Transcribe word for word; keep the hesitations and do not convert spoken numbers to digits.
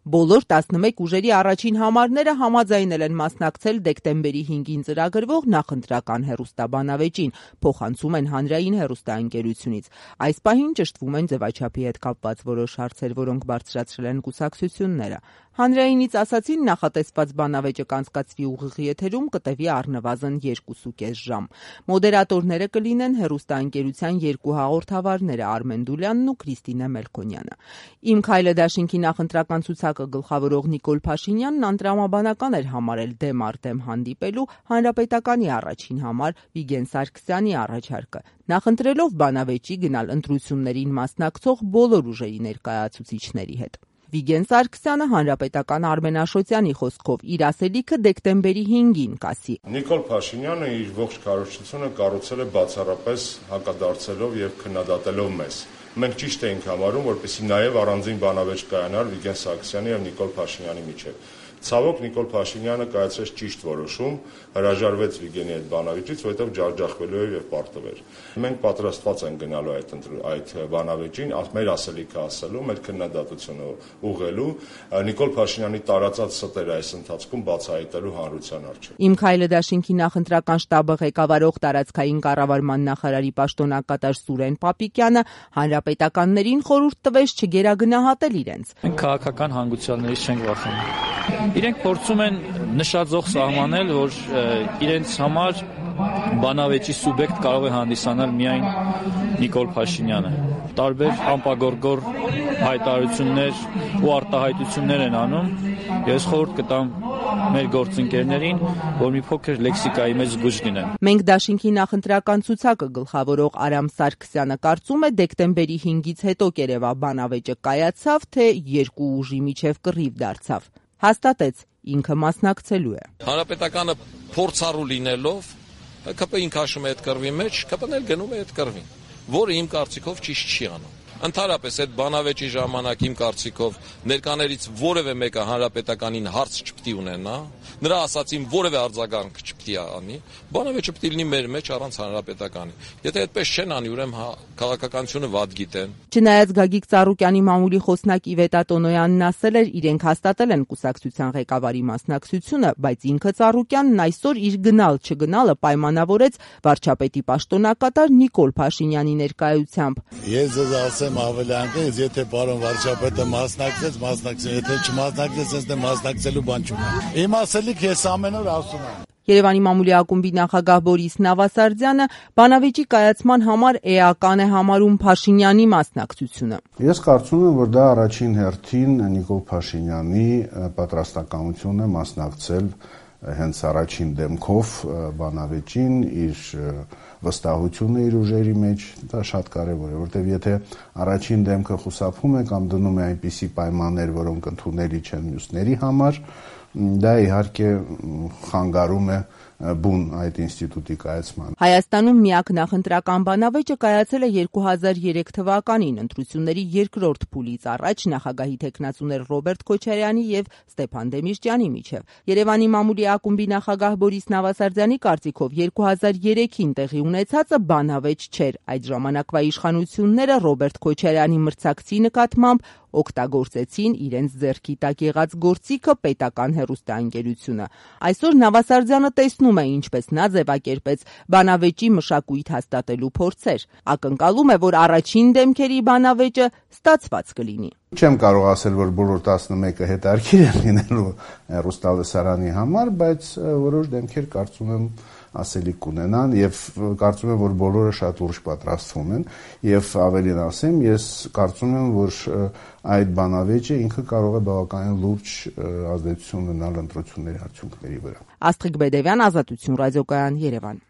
Բոլոր տասնմեկ ուժերի առաջին համարները համաձայնել են մասնակցել դեկտեմբերի հինգին ծրագրվող նախընտրական հեռուստաբանավեճին, փոխանցում են Հանրային հեռուստաընկերությունից։ Այս պահին ճշտվում են ձևաչափի հետ կապված որոշ հարցեր, որոնք բարձրացրել են կուսակցությունները։ Հանրայինից ասացին, նախատեսված բանավեճը կանցկացվի ուղիղ եթերում, կտևի առնվազն երկուսուկես ժամ։ Մոդերատորները կլինեն հեռուստաընկերության երկու հաղորդավարները՝ Արմեն Դուլյանն ու Կրիստինե Մելքոնյանը։ «Իմ քայլը» դաշինքի նախընտրական ցուցակը գլխավորող Նիկոլ Փաշինյանն անտրամաբանական էր համարել դեմ առ դեմ հանդիպելու Հանրապետականի առաջին համար Վիգեն Սարգսյանի առաջարկը, նախընտրելով բանավեճի գնալ ընտրություններին մասնակցող բոլոր ուժերի ներկայացուցիչների հետ։ Վիգեն Սարգսյանը Հանրապետական Արմեն Աշոտյանի խոսքով իր ասելիքը դեկտեմբերի հինգին կասի։ Նիկոլ Փաշինյանը իր ողջ քարոզչությունը կառուցել է բացառապես հակադարձելով եւ քննադատելով մեզ։ Մենք ճիշտ էինք համարում, որպեսզի նաեւ առանձին բանավեճ կայանար Վիգեն Սարգսյանի եւ Նիկոլ Փաշինյանի միջեւ։ Ցավոք Նիկոլ Փաշինյանը կայացրեց ճիշտ որոշում, հրաժարվեց Վիգենի այդ բանավեճից, որովհետև ջախջախվելու էր եւ պարտվեր։ Մենք պատրաստված ենք գնալու այդ այդ բանավեճին, մեր ասելիքը ասելու, մեր քննադատությունը ուղղելու, Նիկոլ Փաշինյանի տարածած ստերը այս ընթացքում բացահայտելու հանրության առջև։ «Իմ քայլը» դաշինքի նախընտրական շտաբը ղեկավարող տարածքային կառավարման նախարարի պաշտոնակատար Սուրեն Պապիկյանը հանրապետականներին խորհուրդ տվեց չգերագնահատել իրենց։ Մենք քաղաքական հանգուցյալներից չենք վախենում։ Իրենք փորձում են նշաձող սահմանել, որ իրենց համար բանավեճի սուբյեկտ կարող է հանդիսանալ միայն Նիկոլ Փաշինյանը։ Տարբեր անպագորգոր հայտարարություններ ու արտահայտություններ են անում։ Ես խորհուրդ կտամ մեր գործընկերներին, որ մի փոքր լեքսիկայի մեջ զգույշ լինեն։ Մենք դաշինքի նախընտրական ցուցակը գլխավորող Արամ Սարգսյանը կարծում է դեկտեմբերի հինգից հետո կերևա բանավեճը կայացավ, թե երկու ուժի միջև կռիվ դարձավ։ Հաստատեց, ինքը մասնակցելու է։ Հանրապետականը փորձառու լինելով ԿՊ-ին քաշում է այդ կռվի մեջ, ԿՊ-ն էլ գնում է այդ կռվին, որը իմ կարծիքով ճիշտ չի անում։ Ընդհանրապես այդ բանավեճի ժամանակ իմ կարծիքով ներկաներից որևէ մեկը հանրապետականին հարց չպետք է ունենա, նրա ասածին որևէ արձագանք չպետք է անի, բանավեճը պետք է լինի մեր մեջ առանց հանրապետականի։ Եթե այդպես չեն անի, ուրեմն քաղաքականությունը վատ գիտեն։ Չնայած Գագիկ Ծառուկյանի մամուլի խոսնակ Իվետա Տոնոյանն ասել էր, իրենք հաստատել են կուսակցության ղեկավարի մասնակցությունը, բայց ինքը Ծառուկյանն այսօր իր գնալ-չգնալը պայմանավորեց վարչապետի պաշտոնակատար Նիկոլ Փաշինյանի ներկայությամբ։ Ես ձեզ ասեմ ավելի անգամ, եթե պարոն վարչապետը մասնակցեց, մասնակցեց, եթե չմասնակցեց, ես դե մասնակցելու բան չունեմ։ Իմ ասելիք ես ամեն օր ասում եմ։ Երևանի մամուլի ակումբի նախագահ Բորիս Նավասարդյանը բանավեճի կայացման համար էական է համարում Փաշինյանի մասնակցությունը։ Ես կարծում եմ, որ դա առաջին հերթին Նիկոլ Փաշինյանի պատրաստակամությունն է մասնակցել հենց առաջին դեմքով բանավեճին, իր վստահությունը իր ուժերի մեջ, դա շատ կարևոր է, որտեղ եթե առաջին դեմքը խուսափում է կամ դնում է այնպիսի պայմաններ, որոնք ընդունելի չեն մյուսների համար, դա իհարկե խանգարում է բուն այդ ինստիտուտի կայացման։ Հայաստանում միակ նախընտրական բանավեճը կայացել է երկու հազար երեք թվականին, ընտրությունների երկրորդ փուլից առաջ նախագահի թեկնածուներ Ռոբերտ Քոչարյանի եւ Ստեփան Դեմիրճյանի միջև։ Երևանի մամուլի ակումբի նախագահ Բորիս Նավասարդյանի կարծիքով երկու հազար երեքին տեղի ունեցածը բանավեճ չէր։ Այդ ժամանակվա իշխանությունները Ռոբերտ Քոչարյանի մրցակցի նկատմամբ օգտագործեցին իրենց ձեռքի տակ եղած գործիքը պետական հեռուստաընկերությունը։ Այսօր Նավասարդյանը տեսնում է, ինչպես նա ձևակերպեց բանավեճի մշակույթ հաստատելու փորձեր։ Ակնկալում է, որ առաջին դեմքերի բանավեճը ստացված կլինի։ Չեմ կարող ասել, որ բոլոր տասնմեկը հետարքիր են լինելու հեռուստալսարանի համար, բայց որոշ դեմքեր կարծում եմ ասելիք կունենան եւ կարծում եմ, որ բոլորը շատ ուշ պատրաստվում են եւ ավելին ասեմ, ես կարծում եմ, որ այդ բանավեճը ինքը կարող է բավականին լուրջ ազդեցություն ունենալ ընտրությունների արդյունքների վրա։ Աստղիկ Բեդևյան, Ազատություն ռադիոկայան, Երևան։